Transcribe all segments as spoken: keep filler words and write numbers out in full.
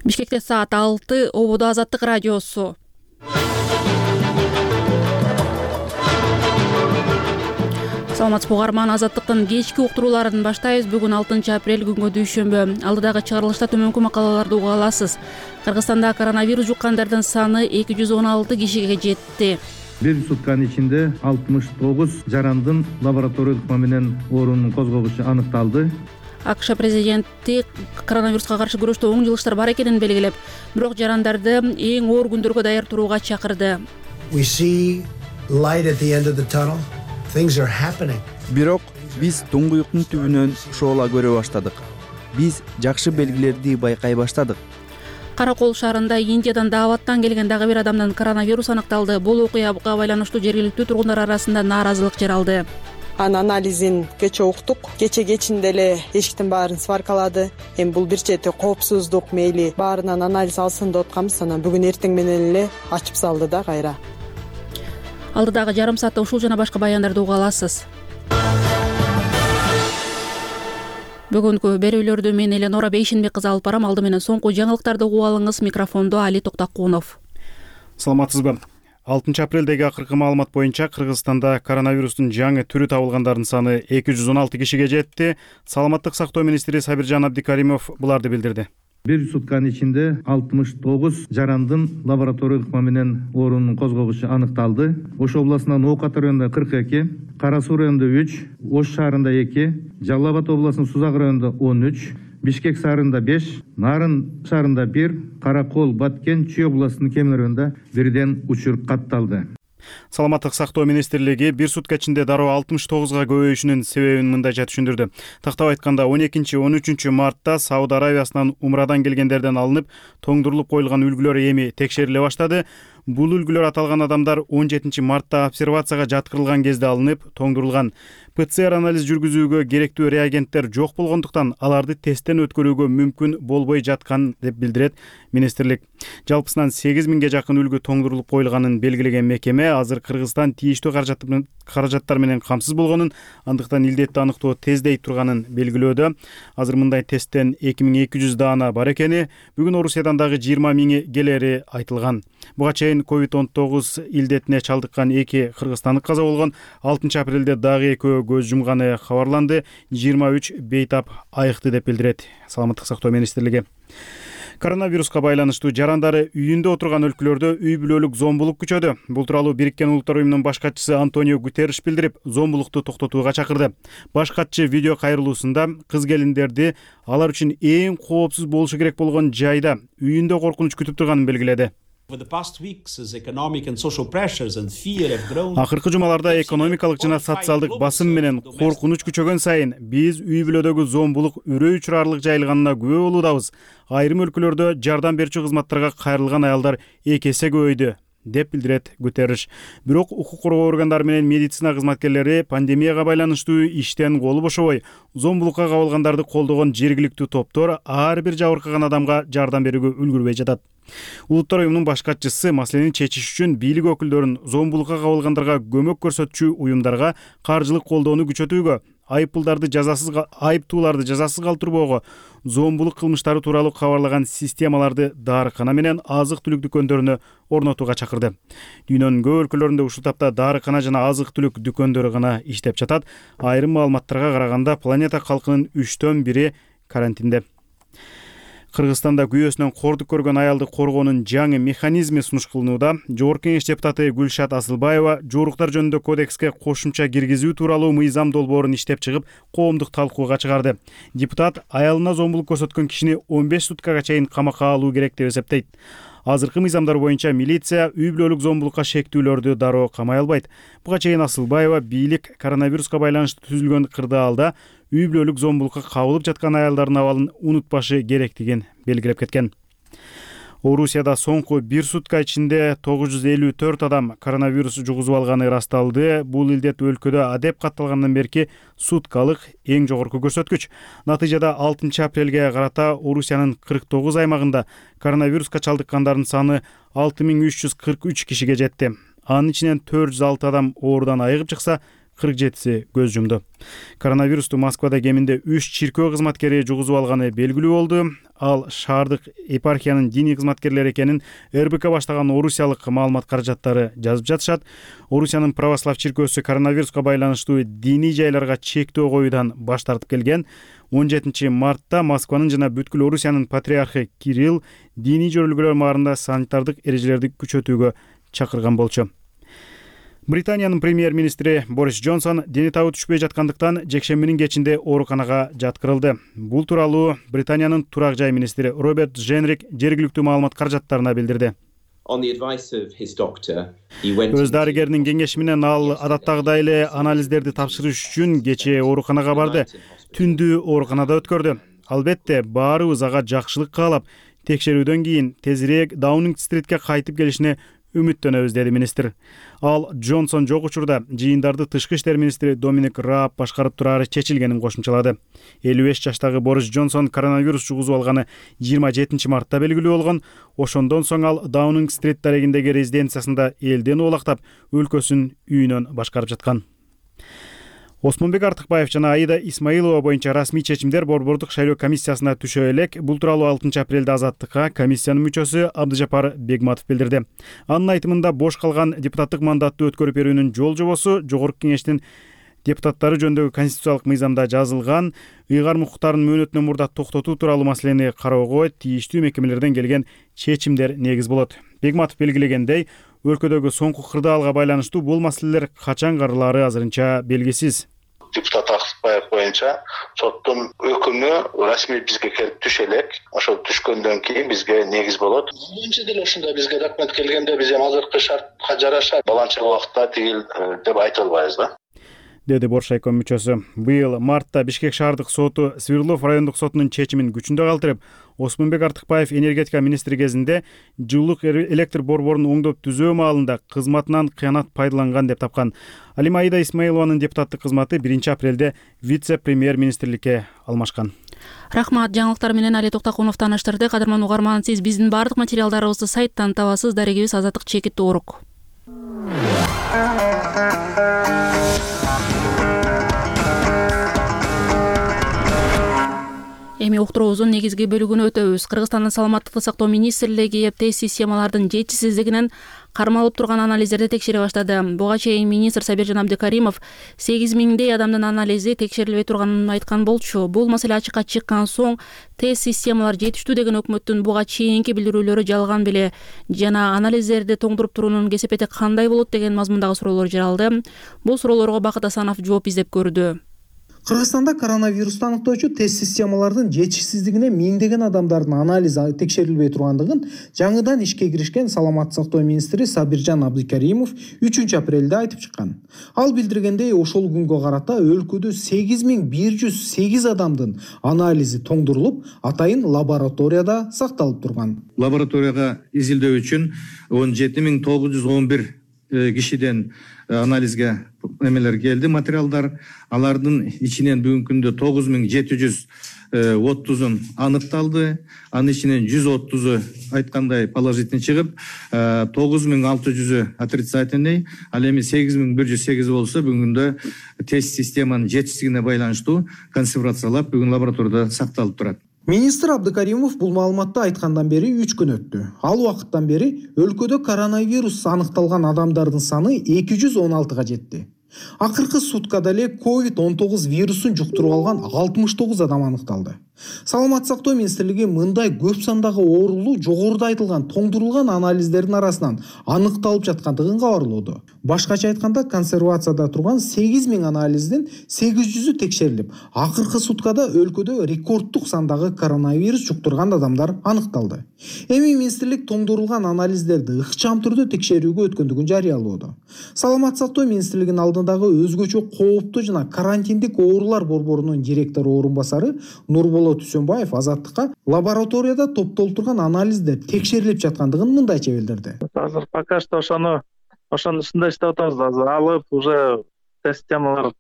Бишкекте саат алты, Ободо Азаттык радиосу. Саламатсызбы угарман, Азаттыктын кечки уктурууларын баштайбыз. Бүгүн алтынчы апрель күнгө дүйшөмбү. Алдыдагы чыгарылышта төмөнкү макалаларды уга аласыз. Кыргызстанда коронавирус жуккандардын саны эки жүз он алты кишиге жетти. Бир сутканын ичинде алтымыш тогуз жарандын лабораториялык менен оорунун козгогучу аныкталды. АКШ президенти коронавируска каршы күрөштө оң жылыштар бар экенин белгилеп, бирок жарандарды эң оор күндөргө даяр турууга чакырды. We see light at the end of the tunnel. Things are happening. Бирок биз туңгуюктун түбүнөн шоола көрө баштадык. Биз жакшы белгилерди байкай баштадык. Каракол шаарында Индиядан дааваттан келген дагы бир адамдан коронавирус аныкталды. Бул окуяга байланыштуу жергиликтүү тургундар арасында нааразылык жаралды. Анын анализин кече уктук. Кече кечинде эле эшиктин баарын сваркалады. Эми бул бир чети коопсуздук, мейли баарынан анализ алсын деп атканбыз. Анан бүгүн эртең менен эле ачып салды да кайра. Алдыдагы жарым саатта ушул жана башка баяндарды уга аласыз. Бүгүнкү берүүлөрдү мен Эленора Бейшенбек кызы алып барам. Алды менен соңку жаңылыктарды угуп алыңыз. Микрофондо Али Токтакунов. Саламатсызбы? алтынчы апрелдеги акыркы маалымат боюнча Кыргызстанда коронавирустун жаңы түрү табылгандардын саны эки жүз он алты кишиге жетти. Саламаттык сактоо министри Сабиржан Абдикаримов буларды билдирди. Бир сутканын ичинде алтымыш тогуз жарандын лабораториялык менен оорунун козгогучу аныкталды. Ош областынан Оокат районунда кырк эки, Кара Суу районунда үч, Ош шаарында эки, Жалал Абад областынын Сузак районунда он үч, Бишкек шаарында беш, Нарын шаарында бир, Каракол, Баткен, Чүй областынын Кемер районунда бирден учур катталды. Саламаттык сактоо министрлиги бир сутка ичинде дароо алтымыш тогузга көбөйүшүнүн себебин мындайча түшүндүрдү. Тактап айтканда он экинчи он үчүнчү мартта Сауд Аравиясынан умрадан келгендерден алынып, тоңдурулуп коюлган үлгүлөр эми текшериле баштады. Бул үлгүлөр аталган адамдар он жетинчи мартта обсервацияга жаткырылган кезде алынып, тоңдурулган. ПЦР анализ жүргүзүүгө керектүү реагенттер жок болгондуктан аларды тесттен өткөрүүгө мүмкүн болбой жаткан деп билдирет министрлик. Жалпысынан сегиз миңге жакын үлгү тоңдурулуп коюлганын белгилеген мекеме азыр Кыргызстан тийиштүү каражаттар менен камсыз болгонун, андыктан илдетти аныктоо тездей турганын белгилөөдө. Азыр мындай тесттен эки миң эки жүз даана бар экени, бүгүн Орусиядан дагы жыйырма миңи келери айтылган. Буга чейин ковид он тогуз илдетине чалдыккан эки кыргызстандык каза болгон. алтынчы апрелде дагы экөө көз жумганы кабарланды. жыйырма үч бейтап айыкты деп билдирет Саламаттык сактоо министрлиги. Коронавируска байланыштуу жарандары үйүндө отурган өлкөлөрдө үй бүлөлүк зомбулук күчөдү. Бул тууралуу Бириккен Улуттар уюмунун баш катчысы Антонио Гутерриш билдирип, зомбулукту токтотууга чакырды. Баш катчы видео кайрылуусунда кыз келиндерди алар үчүн эң коопсуз болушу керек болгон жайда үйүндө коркунуч күтүп турганын белгиледи. Акыркы жумаларда экономикалык жана социалдык басым менен коркунуч күчөгөн сайын биз үй бүлөдөгү зомбулук үрөй учурарлык жайылганына күбө болуудабыз. Айрым өлкөлөрдө жардам берүүчү кызматтарга кайрылган аялдар эки эсе көбөйдү деп билдирет Гутерриш. Бирок укук коргоо органдары менен медицина кызматкерлери пандемияга байланыштуу иштен колу бошобой, зомбулукка кабылгандарды колдогон жергиликтүү топтор ар бир жабыркаган адамга жардам берүүгө үлгүрбөй жатат. Улуттар уюмунун баш катчысы маселени чечиш үчүн бийлик өкүлдөрүн зомбулукка кабылгандарга көмөк көрсөтчү уюмдарга каржылык колдоону күчөтүүгө, айыппулдарды жазасыз айыптууларды жазасыз калтырбоого, зомбулук кылмыштары тууралуу кабарлаган системаларды даарыкана менен азык-түлүк дүкөндөрүнө орнотууга чакырды. Дүйнөнүн көп өлкөлөрүндө ушул тапта даарыкана жана азык-түлүк дүкөндөрү гана иштеп жатат. Айрым маалыматтарга караганда планета калкынын үчтөн бири карантинде. Кыргызстанда күйөөсүнөн кордук көргөн аялды коргоонун жаңы механизми сунуш кылынууда. Жогорку Кеңеш депутаты Гүлшат Асылбаева жоруктар жөнүндө кодекске кошумча киргизүү тууралуу мыйзам долбоорун иштеп чыгып, коомдук талкууга чыгарды. Депутат аялына зомбулук көрсөткөн кишини он беш суткага чейин камакка алуу керек деп эсептейт. Азыркы мыйзамдар боюнча милиция үй бүлөлүк зомбулукка шектүүлөрдү дароо камай албайт. Буга чейин Асылбаева бийлик коронавируска байланыштуу түзүлгөн кырдаалда үй бүлөлүк зомбулукка кабылып жаткан аялдардын абалын унутпашы керектигин белгилеп кеткен. Орусияда соңку бир сутка ичинде тогуз жүз элүү төрт адам коронавирус жугузуп алганы ырасталды. Бул илдет өлкөдө адеп катталгандан берки суткалык эң жогорку көрсөткүч. Натыйжада алтынчы апрелге карата Орусиянын кырк тогуз аймагында коронавируска чалдыккандардын саны алты миң үч жүз кырк үч кишиге жетти. Анын ичинен төрт жүз алты адам оорудан айыгып чыкса, кырк жетиси көз жумду. Коронавирусту Москвада кеминде үч чиркөө кызматкери жугузуп алганы белгилүү болду. Ал шаардык епархиянын диний кызматкерлери экенин эр бэ ка баштаган орусиялык маалымат каражаттары жазып жатышат. Орусиянын православ чиркөөсү коронавируска байланыштуу диний жайларга чектөө коюудан баш тартып келген. он жетинчи мартта Москванын жана бүткүл Орусиянын патриархы Кирилл диний жөрөлгөлөр маарында санитардык эрежелерди күчөтүүгө чакырган болчу. Британиянын премьер-министри Борис Джонсон дени табы түшпөй жаткандыктан жекшембинин кечинде ооруканага жаткырылды. Бул тууралуу Британиянын турак жай министри Роберт Женрик жергиликтүү маалымат каражаттарына билдирди. Өз дарыгеринин кеңеши менен ал адаттагыдай эле анализдерди тапшырыш үчүн кечээ ооруканага барды. Түндү ооруканада өткөрдү. Албетте, баарыбыз ага жакшылык каалап, текшерүүдөн кийин тезирээк Даунинг-стритке кайтып келишине үмүттөнөбүз, деди министр. Ал Джонсон жок учурда жыйындарды тышкы иштер министри Доминик Рааб башкарып турары чечилгенин кошумчалады. элүү беш жаштагы Борис Джонсон коронавирус жугузуп алганы жыйырма жетинчи мартта белгилүү болгон. Ошондон соң ал Даунинг-стрит дарегиндеги резиденциясында элден улактап, өлкөсүн үйүнөн башкарып жаткан. Осмонбек Артыкбаев жана Аида Исмаилова боюнча расмий чечимдер Борбордук шайлоо комиссиясына түшө элек. Бул тууралуу алтынчы апрелде Азаттыкка комиссиянын мүчөсү Абдыжапар Бегматов билдирди. Анын айтымында бош калган депутаттык мандатты өткөрүп берүүнүн жол жобосу Жогорку Кеңештин депутаттары жөнүндөгү конституциялык мыйзамда жазылган. Ыйгарым укуктарын мөөнөтүнөн мурда токтотуу тууралуу маселени кароого тийиштүү мекемелерден келген чечимдер негиз болот. Бегматов белгилегендей, өлкөдөгү соңку кырдаалга байланыштуу бул маселелер качан каралаары азырынча белгисиз. Депутат Артыкбаев боюнча соттун өкүмү расмий бизге келип түшө элек. Ошол түшкөндөн кийин бизге негиз болот. Önce деле ушундай бизге документ келгенде биз эми азыркы шартка жараша баланча убакытта тигил деп айта албайбыз да. Деди Боршайком мүчөсү. Быйыл мартта Бишкек шаардык соту Свердлов райондук сотунун чечимин күчүндө калтырып, Осмонбек Артыкбаев энергетика министри кезинде жылуулук электр борборун оңдоп түзөө маалында кызматынан кыянат пайдаланган деп тапкан. Ал эми Аида Исмаилованын депутаттык кызматы биринчи апрелде вице-премьер-министрликке алмашкан. Рахмат, жаңылыктар менен Али Токтакунов тааныштырды. Кадырман угарман, сиз биздин бардык материалдарыбызды сайттан табасыз. Дарегибиз Азаттык Чекит Оорук. Эми уктуруубуздун негизги бөлүгүнө өтөбүз. Кыргызстандын саламаттыкты сактоо министрлиги тест системалардын жетишсиздигинен кармалып турган анализдерди текшере баштады. Буга чейин министр Сабиржан Абдыкаримов сегиз миңдей адамдын анализи текшерилбей турганын айткан болчу. Бул маселе ачыкка чыккан соң тест системалар жетиштүү деген өкмөттүн буга чейинки билдирүүлөрү жалган беле жана анализдерди тоңдуруп туруунун кесепети кандай болот деген мазмундагы суроолор жаралды. Бул суроолорго Бакыт Асанов жооп издеп көрдү. Кыргызстанда коронавирусту аныктоочу тест системалардын жетишсиздигине миңдеген адамдардын анализи текшерилбей тургандыгын жаңыдан ишке киришкен саламаттык сактоо министри Сабиржан Абдыкаримов үчүнчү апрелде айтып чыккан. Ал билдиргендей, ошол күнгө карата өлкөдө сегиз миң бир жүз сегиз адамдын анализи тоңдурулуп, атайын лабораторияда сакталып турган. Лабораторияга изилдөө үчүн он жети миң тогуз жүз он бир кишиден анализге эмелер келди, материалдар. Алардын ичинен бүгүнкү күндө тогуз миң жети жүз отузун аныкталды. Анын ичинен жүз отузу айткандай положительный чыгып, тогуз миң алты жүзү отрицательный, ал эми сегиз миң бир жүз сегиз болсо бүгүндө тест системанын жетишсиздигине байланыштуу консервациялап бүгүн лабораторияда сакталып турат. Министр Абдыкаримов бул маалыматты айткандан бери үч күн өттү. Ал убакыттан бери өлкөдө коронавирус аныкталган адамдардын саны эки жүз он алтыга жетти. Акыркы суткада эле ковид он тогуз вирусун жуктуруп алган алтымыш тогуз адам аныкталды. Саламаттык сактоо министрлиги мындай көп сандагы оорулуу жогоруда айтылган тоңдурулган анализдердин арасынан аныкталып жаткандыгын кабарлоодо. Башкача айтканда, консервацияда турган сегиз миң анализдин сегиз жүзү текшерилип, акыркы суткада өлкөдө рекорддук сандагы коронавирус жуктурган адамдар аныкталды. Эми министрлик тоңдурулган анализдерди ыкчам түрдө текшерүүгө өткөндүгүн жарыялоодо. Саламаттык сактоо министрлигинин алдындагы өзгөчө кооптуу жана карантиндик оорулар борборунун директору орун басары Нурболот Түсөнбаев Азаттыкка лабораторияда топтолтурган анализдер текшерилип жаткандыгын мындайча билдирди. Азыр пока что ошону ошонун үстүндө иштеп атабыз. Азыр алып уже тест системалар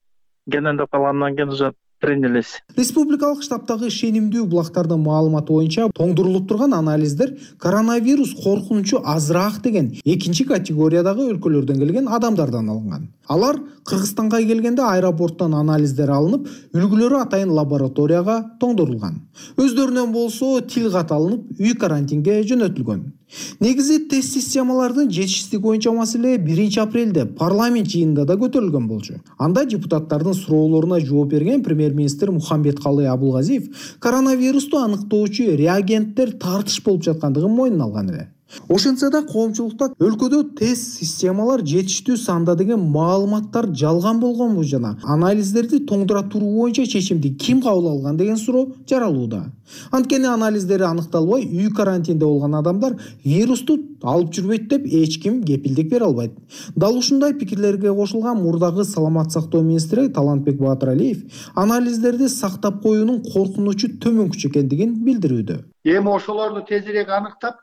кенендеп калгандан кийин уже принялись. Республикалык штабтагы ишенимдүү булактардын маалыматы боюнча тоңдурулуп турган анализдер коронавирус коркунучу азыраак деген экинчи категориядагы өлкөлөрдөн келген адамдардан алынган. Алар Кыргызстанга келгенде аэропорттон анализдер алынып, үлгүлөрү атайын лабораторияга тоңдорулган. Өздөрүнөн болсо тил кат алынып, үй карантинге жөнөтүлгөн. Негизи тест системалардын жетишсиздиги боюнча маселе биринчи апрелде парламент жыйынында да көтөрүлгөн болчу. Анда депутаттардын суроолоруна жооп берген премьер-министр Мухамбеткалый Абулгазиев коронавирусту аныктоочу реагенттер тартыш болуп жаткандыгын мойнуна алган эле. Ошентсе да коомчулукта өлкөдө тест системалар жетиштүү санда деген маалыматтар жалган болгонбу жана анализдерди тоңдура туруу боюнча чечимди ким кабыл алган деген суроо жаралууда. Анткени анализдери аныкталбай үй карантинде болгон адамдар вирусту алып жүрбөйт деп эч ким кепилдик бере албайт. Дал ушундай пикирлерге кошулган мурдагы саламат сактоо министри Талантбек Баатыралиев анализдерди сактап коюунун коркунучу төмөнкүчө экендигин билдирүүдө. Эми ошолорду тезирээк аныктап,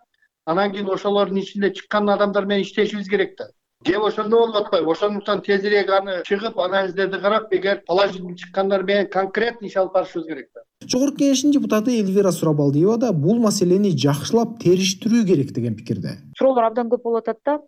анан кийин ошолордун ичинде чыккан адамдар менен иштешибиз керек да. Кеп ошондо болуп атпайбы? Ошондуктан тезирээк аны чыгып, анализдерди карап, эгер положительный чыккандар менен конкретный иш алып барышыбыз керек да. Жогорку Кеңештин депутаты Эльвира Сурабалдиева да бул маселени жакшылап териштирүү керек деген пикирде. Суроолор абдан көп болуп атат да.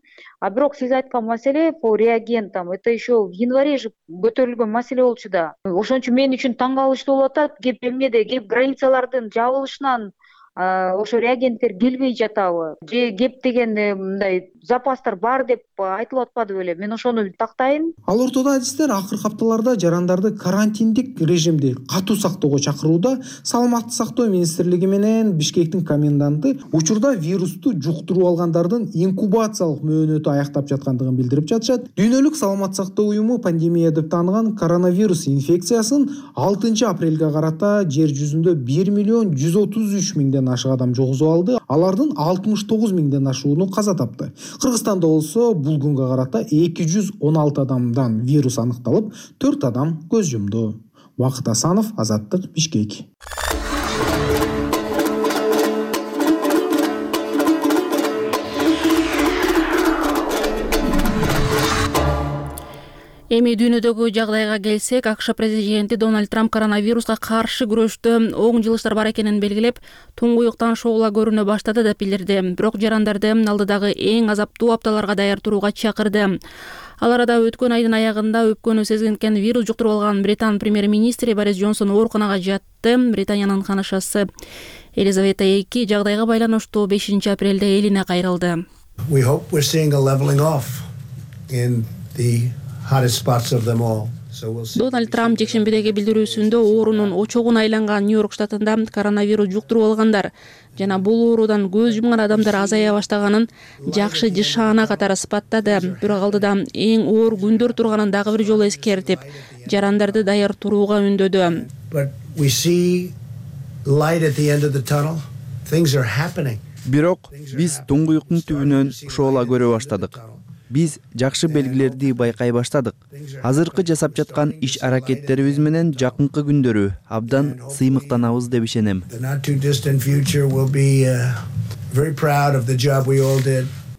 А бирок сиз айткан маселе по реагентам это еще в январе же көтөрүлгөн маселе болчу да. Ошон үчүн мен үчүн таң калыштуу болуп атат. Кеп эмнеде, кеп границалардын жабылышынан ошо реагенттер келбей жатабы же кеп деген мындай запастар бар деп айтылып атпады беле? Мен ошону тактайын. Ал ортодо адистер акыркы апталарда жарандарды карантиндик режимди катуу сактоого чакырууда Саламаттык сактоо министрлиги менен Бишкектин коменданты учурда вирусту жуктуруп алгандардын инкубациялык мөөнөтү аяктап жаткандыгын билдирип жатышат. Дүйнөлүк саламат сактоо уюму пандемия деп тааныган коронавирус инфекциясын алтынчы апрелге карата жер жүзүндө бир миллион жүз отуз үч миңден ашык адам жогузуп алды. Алардын алтымыш тогуз миңден ашууну каза тапты. Кыргызстанда болсо бул күнгө карата эки жүз он алты адамдан вирус аныкталып, төрт адам көз жумду. Бакыт Асанов, Азаттык, Бишкек. Эми дүйнөдөгү жагдайга келсек, АКШ президенти Дональд Трамп коронавируска каршы күрөштө оң жылыштар бар экенин белгилеп, туңгуюктан шоола көрүнө баштады деп билдирди. Бирок жарандарды алдыдагы эң азаптуу апталарга даяр турууга чакырды. Ал арада өткөн айдын аягында өпкөнү сезген вирус жуктуруп алган Британ премьер-министри Борис Джонсон ооруканага жатты. Британиянын ханышасы Елизавета эки жагдайга байланыштуу бешинчи апрелде элине кайрылды. We hope we're seeing a leveling off in the Дональд Трамп жекшембидеги билдирүүсүндө оорунун очогуна айланган Нью-Йорк штатында коронавирус жуктуруп алгандар жана бул оорудан көз жумган адамдар азая баштаганын жакшы жышаана катары сыпаттады. Бирок алдыда эң оор күндөр турганын дагы бир жолу эскертип, жарандарды даяр турууга үндөдү. Бирок биз туңгуюктун түбүнөн шоола көрө баштадык. Биз жакшы белгилерди байкай баштадык. Азыркы жасап жаткан иш аракеттерибиз менен жакынкы күндөрү абдан сыймыктанабыз деп ишенем.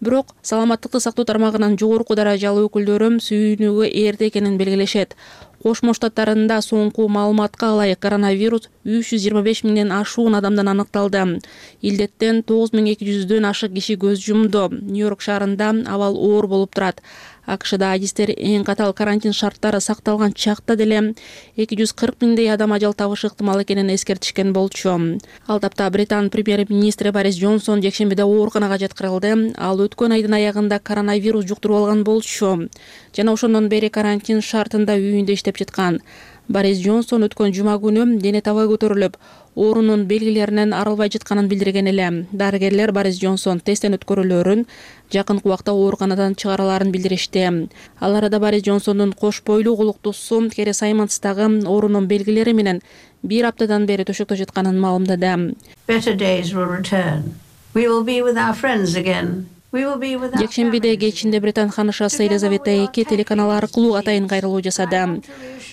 Бирок саламаттыкты сактоо тармагынын жогорку даражалуу өкүлдөрү сүйүнүүгө эрте экенин белгилешет. Кошмо Штаттарында соңку маалыматка ылайык коронавирус үч жүз жыйырма беш миңден ашуун адамдан аныкталды. Илдеттен тогуз миң эки жүздөн ашык киши көз жумду. Нью-Йорк шаарында абал оор болуп турат. АКШда адистер эң катал карантин шарттары сакталган чакта деле эки жүз кырк миңдей адам ажал табышы ыктымал экенин эскертишкен болчу. Ал тапта Британ премьер-министри Борис Джонсон жекшембиде ооруканага жаткырылды. Ал өткөн айдын аягында коронавирус жуктуруп алган болчу. Жана ошондон бери карантин шартында үйүндө иштеп жаткан. Борис Джонсон өткөн жума күнү дене табы көтөрүлүп, оорунун белгилеринен арылбай жатканын билдирген эле. Дарыгерлер Борис Джонсон тесттен өткөрүлөрүн жакынкы убакта ооруканадан чыгараларын билдиришти. Ал арада Борис Джонсондун кош бойлуу кулуктуусу Кери Саймонстагы оорунун белгилери менен бир аптадан бери төшөктө жатканын маалымдады. Better days will return. We will be with our friends again. Жекшембиде кечинде Британ ханышасы Елизавета эки телеканал аркылуу атайын кайрылуу жасады.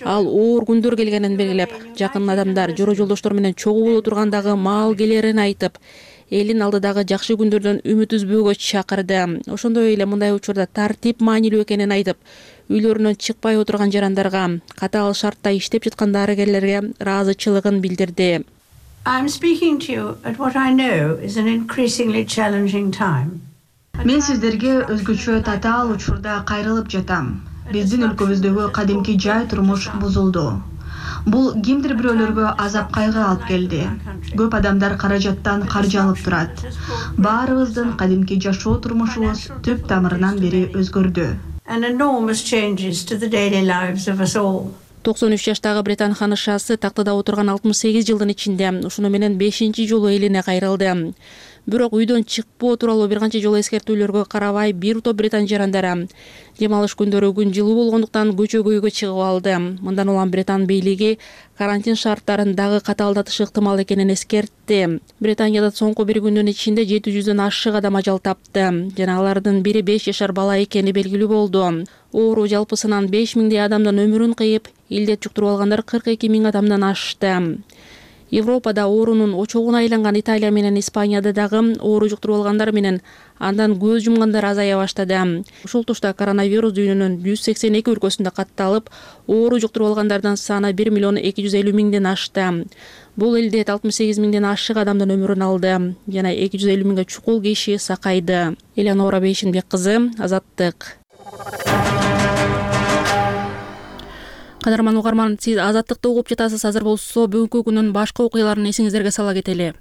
Ал оор күндөр келгенин белгилеп, жакын адамдар жоро жолдоштор менен чогуу боло тургандагы маал келерин айтып, элин алдыдагы жакшы күндөрдөн үмүт үзбөөгө чакырды. Ошондой эле мындай учурда тартип маанилүү экенин айтып, үйлөрүнөн чыкпай отурган жарандарга, катаал шартта иштеп жаткан дарыгерлерге ыраазычылыгын билдирди. I'm speaking to you at what I know is an increasingly challenging time. Мен сиздерге өзгөчө татаал учурда кайрылып жатам. биздин өлкөбүздөгү кадимки жай турмуш бузулду. Бул кимдир бирөөлөргө азап кайгы алып келди. Көп адамдар каражаттан каржы алып турат. Баарыбыздын кадимки жашоо турмушубуз түп тамырынан бери өзгөрдү. And enormous changes to the daily lives of us all. токсон үч жаштагы Британ ханышасы тактада отурган алтымыш сегиз жылдын ичинде ушуну менен бешинчи жолу элине кайрылды. Бирок үйдөн чыкпоо тууралуу бир канча жолу эскертүүлөргө карабай бир топ британ жарандары дем алыш күндөрү күн жылуу болгондуктан көчөгөйгө чыгып алды. Мындан улам Британ бийлиги карантин шарттарын дагы катаалдатышы ыктымал экенин эскертти. Британияда соңку бир күндүн ичинде жети жүздөн ашык адам ажал тапты жана алардын бири беш жашар бала экени белгилүү болду. Оору жалпысынан беш миңдей адамдын өмүрүн кыйып, илдет жуктуруп алгандар кырк эки миң адамдан ашты. Европада оорунун очогуна айланган Италия менен Испанияда дагы оору жуктуруп алгандар менен андан көз жумгандар азая баштады. Ушул тушта коронавирус дүйнөнүн жүз сексен эки өлкөсүндө катталып, оору жуктуруп алгандардын саны бир миллион эки жүз элүү миңден ашты. Бул илдет алтымыш сегиз миңден ашык адамдын өмүрүн алды жана эки жүз элүү миңге чукул киши сакайды. Элеонора Бейшинбек кызы, Азаттык. Кадарман угарман, сиз Азаттыкты угуп жатасыз. Азыр болсо бүгүнкү күнүн башка окуяларын эсиңиздерге сала кетели.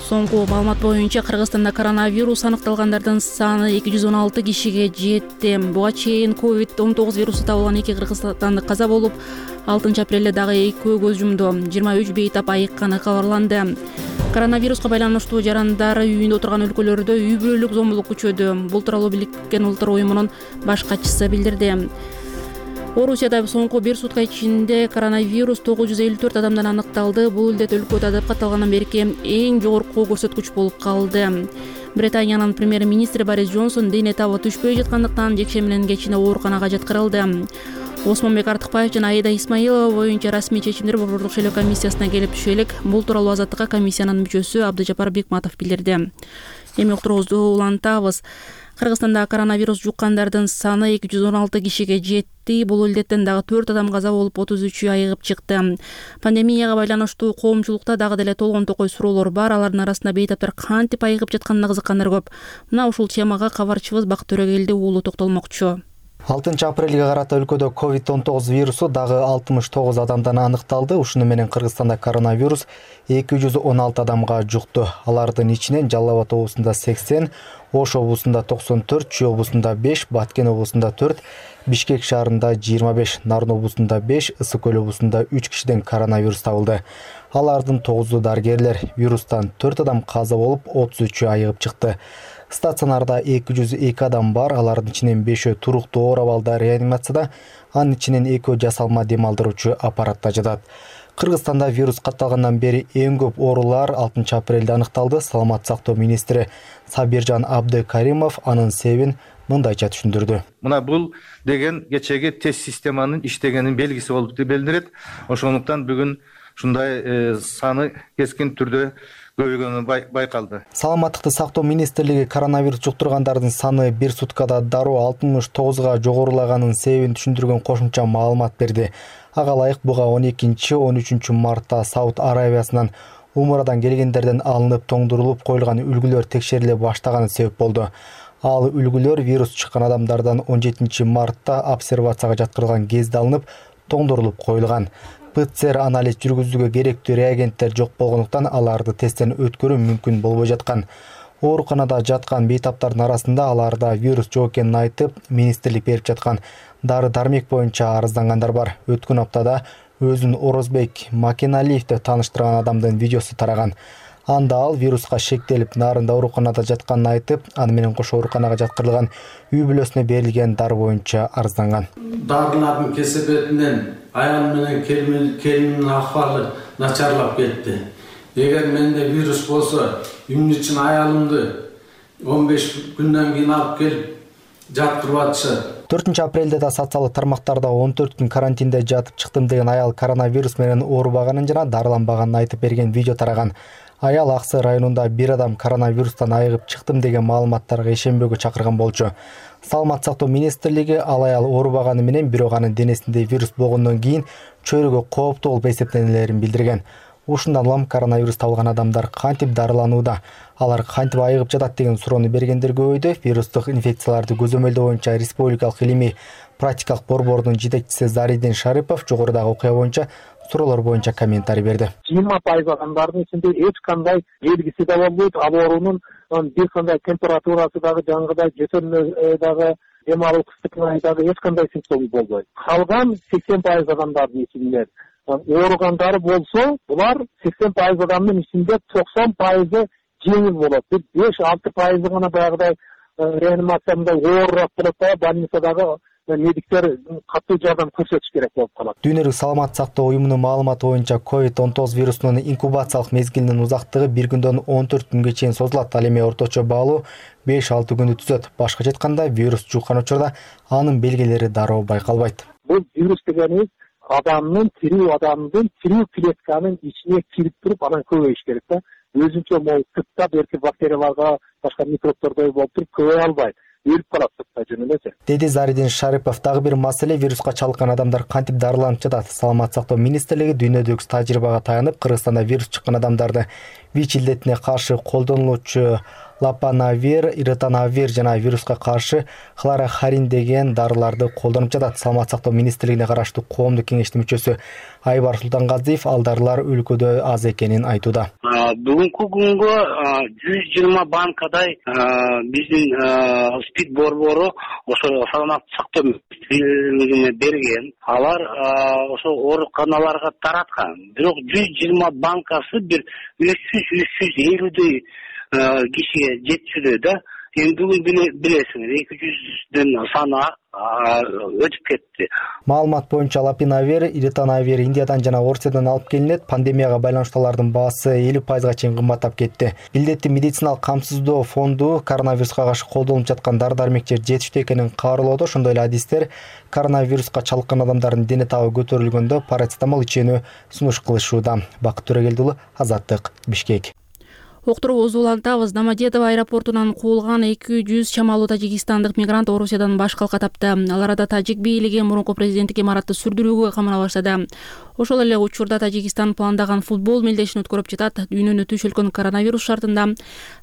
Соңку маалымат боюнча Кыргызстанда коронавирус аныкталгандардын саны эки жүз он алты кишиге жетти. Буга чейин ковид он тогуз вирусу табылган эки кыргызстандык каза болуп, алтынчы апрелде дагы экөө көз жумду. жыйырма үч бейтап айыкканы кабарланды. Коронавируска байланыштуу жарандар үйүндө отурган өлкөлөрдө үй бүлөлүк зомбулук күчөдү. Бул тууралуу Бириккен Улуттар уюмунун баш катчысы билдирди. Орусияда соңку бир сутка ичинде коронавирус тогуз жүз элүү төрт адамдан аныкталды. Бул илдет өлкөдө адап катталгандан берки эң жогорку көрсөткүч болуп калды. Британиянын премьер-министри Борис Джонсон дене табы түшпөй жаткандыктан жекшемби менен кечине ооруканага жаткырылды. Осмонбек Артыкбаев жана Аида Исмаилова боюнча расмий чечимдер Борбордук шайлоо комиссиясына келип түшө элек. Бул тууралуу Азаттыкка комиссиянын мүчөсү Абдыжапар Бекматов билдирди. Эми уктуруубузду улантабыз. Кыргызстанда коронавирус жуккандардын саны эки жүз он алты кишиге жетти. Бул илдеттен дагы төрт адам каза болуп, отуз үчү айыгып чыкты. Пандемияга байланыштуу коомчулукта дагы деле толгон токой суроолор бар. Алардын арасында бейтаптар кантип айыгып жатканына кызыккандар көп. Мына ушул темага кабарчыбыз Бакыт Төрөгелди уулу токтолмокчу. алтынчы апрелге карата өлкөдө ковид он тогуз вирусу дагы алтымыш тогуз адамдан аныкталды. Ушуну менен Кыргызстанда коронавирус эки жүз он алты адамга жукту. Алардын ичинен Жалал Абад облусунда сексен, Ош облусунда токсон төрт, Чүй облусунда беш, Баткен облусунда төрт, Бишкек шаарында жыйырма беш, Нарын облусунда беш, Ысык көл облусунда үч кишиден коронавирус табылды. Алардын тогузу дарыгерлер. Вирустан төрт адам каза болуп, отуз үчү айыгып чыкты. Стационарда эки жүз эки адам бар. Алардын ичинен бешөө туруктуу оор абалда реанимацияда, анын ичинен экөө жасалма дем алдыруучу аппаратта жатат. Кыргызстанда вирус катталгандан бери эң көп оорулар алтынчы апрелде аныкталды. Саламаттык сактоо министри Сабиржан Абдыкаримов анын себебин мындайча түшүндүрдү. Мына бул деген кечеги тест системанын иштегенин белгиси болуп билдирет. Ошондуктан бүгүн ушундай саны кескин түрдө көбөйгөнү байкалды. Саламаттыкты сактоо министрлиги коронавирус жуктургандардын саны бир суткада дароо алтымыш тогузга жогорулаганын себебин түшүндүргөн кошумча маалымат берди. Ага ылайык буга он экинчи он үчүнчү мартта Сауд Аравиясынан умрадан келгендерден алынып тоңдурулуп коюлган үлгүлөр текшериле баштаганы себеп болду. Ал үлгүлөр вирус чыккан адамдардан он жетинчи мартта обсервацияга жаткырылган кезде алынып тоңдурулуп коюлган. ПЦР анализ жүргүзүүгө керектүү реагенттер жок болгондуктан аларды тесттен өткөрүү мүмкүн болбой жаткан. Ооруканада жаткан бейтаптардын арасында аларда вирус жок экенин айтып, министрлик берип жаткан дары-дармек боюнча арыздангандар бар. Өткөн аптада өзүн Орозбек Макеналиевди тааныштырган адамдын видеосу тараган. Анда ал вируска шектелип, Нарында ооруканада жатканын айтып, аны менен кошо ооруканага жаткырылган үй бүлөсүнө берилген дары боюнча арызданган. Дарылардын кесепетинен аялым менен келинимдин акыбалы начарлап кетти. Эгер менде вирус болсо, эмне үчүн аялымды он беш күндөн кийин алып келип жаткырып атышат. төртүнчү апрелде да социалдык тармактарда он төрт күн карантинде жатып чыктым деген аял коронавирус менен оорубаганын жана дарыланбаганын айтып берген видео тараган. Аял Аксы районунда бир адам коронавирустан айыгып чыктым деген маалыматтарга ишенбөөгө чакырган болчу. Саламаттык сактоо министрлиги ал аял оорубаганы менен бирок анын денесинде вирус болгондон кийин чөйрөгө кооптуу болуп эсептенелерин билдирген. Ушундан улам коронавирус табылган адамдар кантип дарыланууда, алар кантип айыгып жатат деген суроону бергендер көбөйдү. Вирустук инфекцияларды көзөмөлдөө боюнча республикалык илимий практикалык борбордун жетекчиси Заридин Шарипов жогорудагы окуя боюнча суроолор боюнча комментарий берди. жыйырма пайыз адамдардын ичинде эч кандай белгиси да болбойт, ал оорунун бир кандай температурасы дагы жаңгыдай жөтөлмө дагы дем алуу кыстыкай дагы эч кандай симптому болбойт. Калган сексен пайыз адамдардын ичинде ооругандары болсо, булар сексен пайыз адамдын ичинде токсон пайызы жеңил болот. Бир беш алты пайызы гана баягыдай реанимацияда оорураак болот да, больницадагы медиктер катуу жардам көрсөтүш керек болуп калат. Дүйнөлүк саламаттык сактоо уюмунун маалыматы боюнча ковид он тогуз вирусунун инкубациялык мезгилинин узактыгы бир күндөн он төрт күнгө чейин созулат. Ал эми орточо баалуу беш алты күндү түзөт. Башкача айтканда, вирус жуккан учурда анын белгилери дароо байкалбайт. Бул вирус дегенибиз адамдын тирүү адамдын тирүү клетканын ичине кирип туруп анан көбөйүш керек да. Өзүнчө могу сыртта берки бактерияларга, башка микробтордой болуп туруп көбөйө албайт. Өлүп калат сыртта жөн эле. Деди Заридин Шарипов. Дагы бир маселе вируска чалдыккан адамдар кантип дарыланып жатат. Саламаттык сактоо министрлиги дүйнөдөгү тажрыйбага таянып, Кыргызстанда вирус чыккан адамдарды ВИЧ илдетине каршы колдонулуучу лапанавир, иританавир жана вируска каршы хлорохарин деген дарыларды колдонуп жатат. Саламаттык сактоо министрлигине караштуу коомдук кеңештин мүчөсү Айбар Султангазиев ал дарылар өлкөдө аз экенин айтууда. Бүгүнкү күнгө жүз жыйырма банкадай биздин СПИД борбору ошо саламаттык сактоо министрлигине берген. Алар ошо ооруканаларга тараткан. Бирок жүз жыйырма банкасы бир үч жүз үч жүз элүүдөй кишиге жетчүдө да. Эми бүгүн билесиңер эки жүздөн саны өтүп кетти. Маалымат боюнча лапинавир, иританавир Индиядан жана Орусиядан алып келинет. Пандемияга байланыштуу алардын баасы элүү пайызга чейин кымбаттап кетти. Илдетти медициналык камсыздоо фонду коронавируска каршы колдонулуп жаткан дары-дармектер жетиштүү экенин каарылоодо. Ошондой эле адистер коронавируска чалдыккан адамдардын дене табы көтөрүлгөндө парацетамол ичүүнү сунуш кылышууда. Бакыт Төрөгелди уулу, Азаттык, Бишкек. Уктуруубузду улантабыз. Домодедово аэропортунан куулган эки жүз чамалуу тажикстандык мигрант Орусиядан баш калка тапты. Ал арада тажик бийлиги мурунку президенттик имаратты сүрдүрүүгө камына баштады. Ошол эле учурда Тажикстан пландаган футбол мелдешин өткөрүп жатат. Дүйнөнү түшүлгөн коронавирус шартында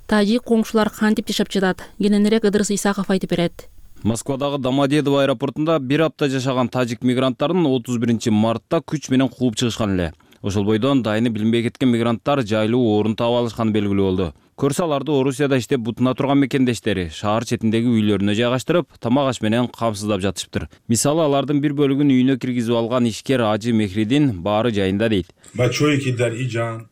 тажик коңшулар кантип жашап жатат? Кененирээк Ыдырыс Исаков айтып берет. Москвадагы Домодедово аэропортунда бир апта жашаган тажик мигранттарын отуз биринчи мартта күч менен кууп чыгышкан эле. Ошол бойдон дайыны билинбей кеткен мигранттар жайлуу орун таап алышканы белгилүү болду. Көрсө аларды Орусияда иштеп бутуна турган мекендештери шаар четиндеги үйлөрүнө жайгаштырып, тамак аш менен камсыздап жатышыптыр. Мисалы, алардын бир бөлүгүн үйүнө киргизип алган ишкер Ажы Мехридин баары жайында дейт.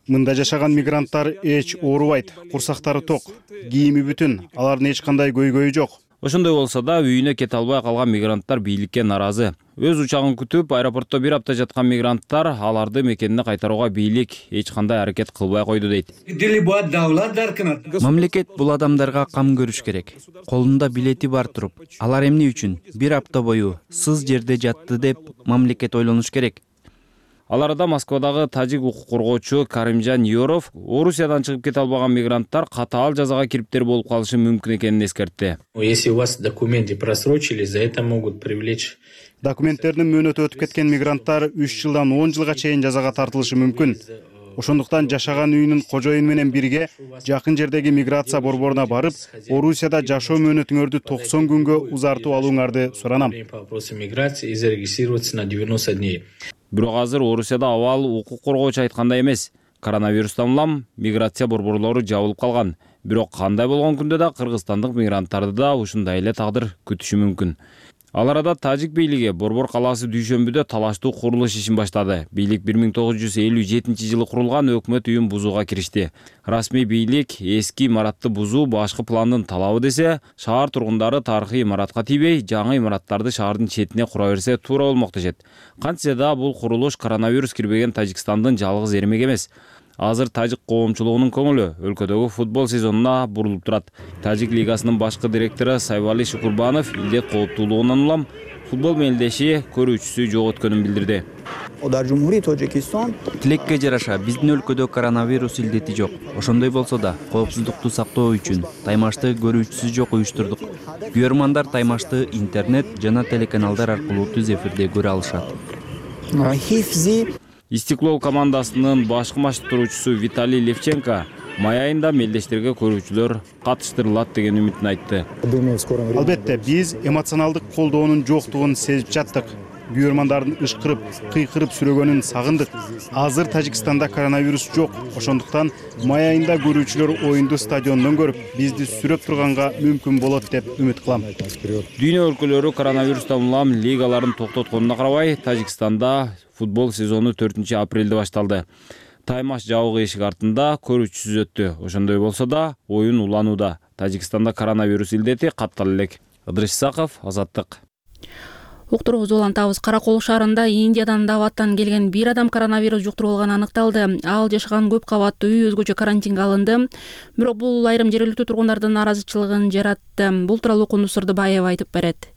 Мында жашаган мигранттар эч оорубайт, курсактары ток, кийими бүтүн, алардын эч кандай көйгөйү жок. Ошондой болсо да үйүнө кете албай калган мигранттар бийликке наразы. Өз учагын күтүп, аэропортто бир апта жаткан мигранттар аларды мекенине кайтарууга бийлик эч кандай аракет кылбай койду дейт. Мамлекет бул адамдарга кам көрүш керек. Колунда билети бар туруп, алар эмне үчүн бир апта бою сыз жерде жатты деп мамлекет ойлонуш керек. Ал арада Москвадагы тажик укук коргоочу Каримжан Yorov Орусиядан чыгып кете албаган мигранттар катаал жазага кириптер болуп калышы мүмкүн экенин эскертти. Если у вас документы просрочили, за это могут привлечь. Документтердин мөөнөтү өтүп кеткен мигранттар үч жылдан он жылга чейин жазага тартылышы мүмкүн. Ошондуктан жашаган үйүнүн кожоюну менен бирге жакын жердеги миграция борборуна барып, Орусияда жашоо мөөнөтүңөрдү токсон күнгө узартып алууңарды суранам. Бирок азыр Орусияда абал укук коргоочу айткандай эмес. Коронавирустан улам миграция борборлору жабылып калган. Бирок кандай болгон күндө да кыргызстандык мигранттарды да ушундай эле тагдыр күтүшү мүмкүн. Ал арада тажик бийлиги Борбор калаасы дүйшөмбүдө талаштуу курулуш ишин баштады. Бийлик бир миң тогуз жүз элүү жетинчи жылы курулган өкмөт үйүн бузууга киришти. Расмий бийлик эски имаратты бузуу башкы пландын талабы десе, шаар тургундары тарыхый имаратка тийбей, жаңы имараттарды шаардын четине кура берсе туура болмок дешет. Кантсе да бул курулуш коронавирус кирбеген Тажикстандын жалгыз эрмеги эмес. Азыр тажик коомчулугунун көңүлү өлкөдөгү футбол сезонуна бурулуп турат. Тажик лигасынын башкы директору Сайвали Шукурбанов илдет кооптуулугунан улам футбол мелдеши көрүүчүсү жок өткөнүн билдирди. Тилекке жараша биздин өлкөдө коронавирус илдети жок. Ошондой болсо да, коопсуздукту сактоо үчүн таймашты көрүүчүсү жок уюштурдук. Көрөрмандар таймашты интернет жана телеканалдар аркылуу түз эфирде көрө алышат. Истеклол командасынын башкы машыктыруучусу Виталий Левченко май айында мелдештерге көрүүчүлөр катыштырылат деген үмүтүн айтты. Албетте, биз эмоционалдык колдоонун жоктугун сезип жаттык. Күйөрмандардын ышкырып, кыйкырып сүрөгөнүн сагындык. Азыр Тажикстанда коронавирус жок. Ошондуктан май айында көрүүчүлөр оюнду стадиондон көрүп, бизди сүрөп турганга мүмкүн болот деп үмүт кылам. Дүйнө өлкөлөрү коронавирустан улам лигаларын токтотконуна карабай, Тажикстанда футбол сезону төртүнчү апрелде башталды. Таймаш жабык эшик артында көрүүчүсүз өттү. Ошондой болсо да, оюн уланууда. Тажикстанда коронавирус илдети каттала элек. Ыдырыш Исаков, Азаттык. Уктуруубузду улантабыз. Каракол шаарында Индиядан даваттан келген бир адам коронавирус жуктуруп алганы аныкталды. Ал жашаган көп кабаттуу үй өзгөчө карантинге алынды. Бирок бул айрым жергиликтүү тургундардын нааразычылыгын жаратты. Бул тууралуу Кундуз Сырдыбаева айтып берет.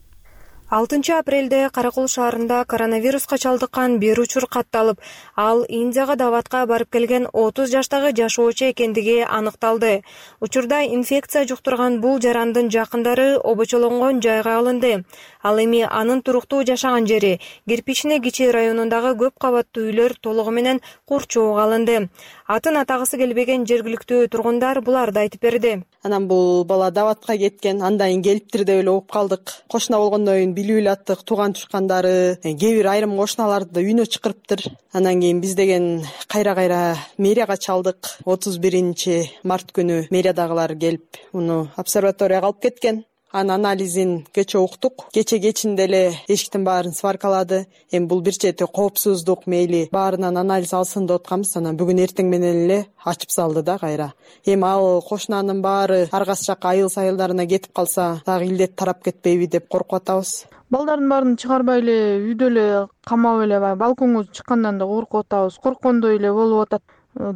алтынчы апрелде Каракол шаарында коронавируска чалдыккан бир учур катталып, ал Индияга даватка барып келген отуз жаштагы жашоочу экендиги аныкталды. Учурда инфекция жуктурган бул жарандын жакындары обочолонгон жайга алынды. Ал эми анын туруктуу жашаган жери Кирпичный Кичи районундагы көп кабаттуу үйлөр толугу менен курчоого алынды. Атын атагысы келбеген жергиликтүү тургундар буларды айтып берди. Анан бул бала даватка кеткен, андан келиптир деп эле угуп калдык. Кошуна болгондон кийин билип элаттык, тууган тушкандары, кээ бир айрым кошуналарды да үйүнө чакырыптыр. Андан кийин биз деген кайра-кайра мэрияга чалдык. отуз биринчи март күнү мэриядагылар келип, муну обсерваторияга алып кеткен. Анын анализин кече уктук. Кече кечинде эле эшиктин баарын сваркалады. Эми бул бир чети коопсуздук мейли баарынан анализ алсын деп атканбыз. Анан бүгүн эртең менен эле ачып салды да кайра. Эми ал кошунанын баары аргасы жакка айыл сайылдарына кетип калса, дагы илдет тарап кетпейби деп коркуп атабыз. Балдардын баарын чыгарбай эле үйдө эле камап эле балконго чыккандан да коркуп атабыз. Корккондой эле болуп атат.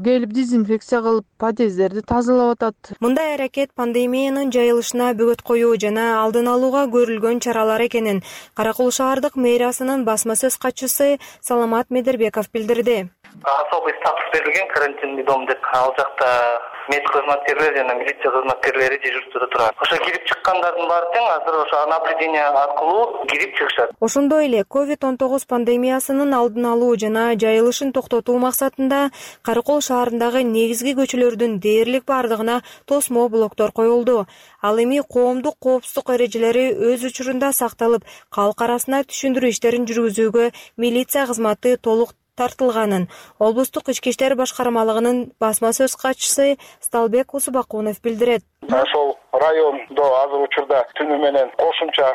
Келип дезинфекция кылып, подъездерди тазалап атат. Мындай аракет пандемиянын жайылышына бөгөт коюу жана алдын алууга көрүлгөн чаралар экенин Каракол шаардык мэриясынын басма сөз катчысы Саламат Медербеков билдирди. Особый статус берилген карантинный дом деп, ал жакта мед кызматкерлери жана милиция кызматкерлери дежурстводо турат. Ошо кирип чыккандардын баары тең азыр ошо наблюдение аркылуу кирип чыгышат. Ошондой эле ковид он тогуз пандемиясынын алдын алуу жана жайылышын токтотуу максатында Каракол шаарындагы негизги көчөлөрдүн дээрлик бардыгына тосмо блоктор коюлду. Ал эми коомдук коопсуздук эрежелери өз учурунда сакталып, калк арасына түшүндүрүү иштерин жүргүзүүгө милиция кызматы толук тартылганын облустук ички иштер башкармалыгынын басма сөз катчысы Сталбек Усубакунов билдирет. Ошол райондо азыр учурда түнү менен кошумча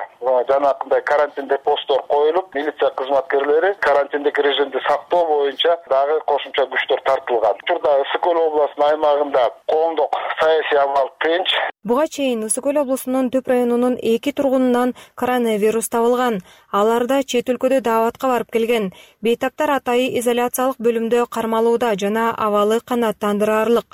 жанакындай карантин депостор коюлуп, милиция кызматкерлери карантиндик режимди сактоо боюнча дагы кошумча күчтөр тартылган. Учурда Ысык Көл областынын аймагында коомдук саясий абал тынч. Буга чейин Ысык Көл облусунун Төп районунун эки тургунунан коронавирус табылган. Аларда чет өлкөдө даватка барып келген. Бейтаптар атайы изоляциялык бөлүмдө кармалууда жана абалы канааттандырарлык.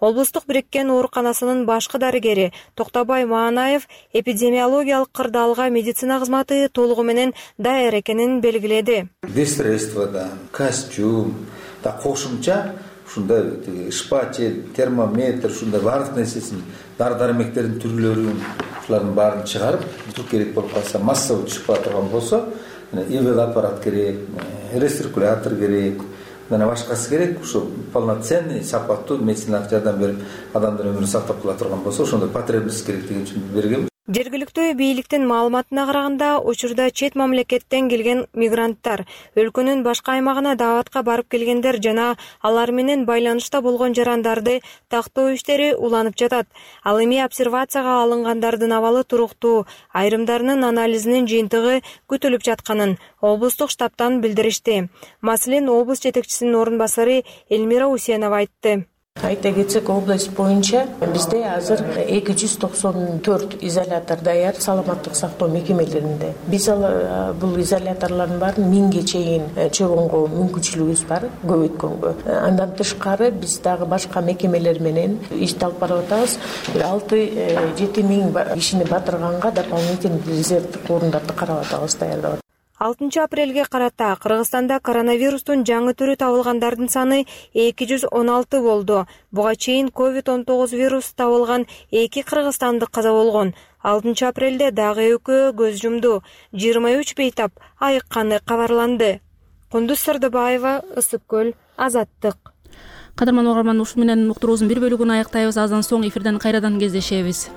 Облустук бириккен ооруканасынын башкы дарыгери Токтобай Маанаев эпидемиологиялык кырдаалга медицина кызматы толугу менен даяр экенин белгиледи. Средства да, костюм, да кошумча ушундай шпатель, термометр, ушундай баардык нерсесин, дары-дармектердин түрлөрүн, ушулардын баарын чыгарып, турук керек болуп калса, массовый түшүп турган болсо, ИВЛ аппарат керек, рециркулятор керек, мына башкасы керек, ушу полноценный, сапаттуу медициналык жардам берип, адамдын өмүрүн сактап кала турган болсо, ошондой потребность керек деген үчүн берген. Жергиликтүү бийликтин маалыматына караганда, учурда чет мамлекеттен келген мигранттар, өлкөнүн башка аймагына даватка барып келгендер жана алар менен байланышта болгон жарандарды тактоо иштери уланып жатат. Ал эми обсервацияга алынгандардын абалы туруктуу, айрымдарынын анализинин жыйынтыгы күтүлүп жатканын облустук штабтан билдиришти. Маселен, облус жетекчисинин орун басары Элмира Усенова айтты. Айта кетсек, область боюнча бизде азыр эки жүз токсон төрт изолятор даяр саламаттык сактоо мекемелеринде. Биз бул изоляторлордун баарын миңге чейин чогууга мүмкүнчүлүгүбүз бар, көбөйткөнгө. Андан тышкары биз дагы башка мекемелер менен ишти алып барып атабыз. бир алты жети миң кишини батырганга дополнительный резервдик орундарды карап атабыз, даярдап. алтынчы апрелге карата Кыргызстанда коронавирустун жаңы түрү табылгандардын саны эки жүз он алты болду. Буга чейин ковид он тогуз вирусу табылган эки кыргызстандык каза болгон. алтынчы апрелде дагы экөө көз жумду. жыйырма үч бейтап айыкканы кабарланды. Кундуз Сырдыбаева, Ысык көл, Азаттык. Кадырман угарман, ушу менен уктуруубуздун бир бөлүгүн аяктайбыз. Аздан соң эфирден кайрадан кездешебиз.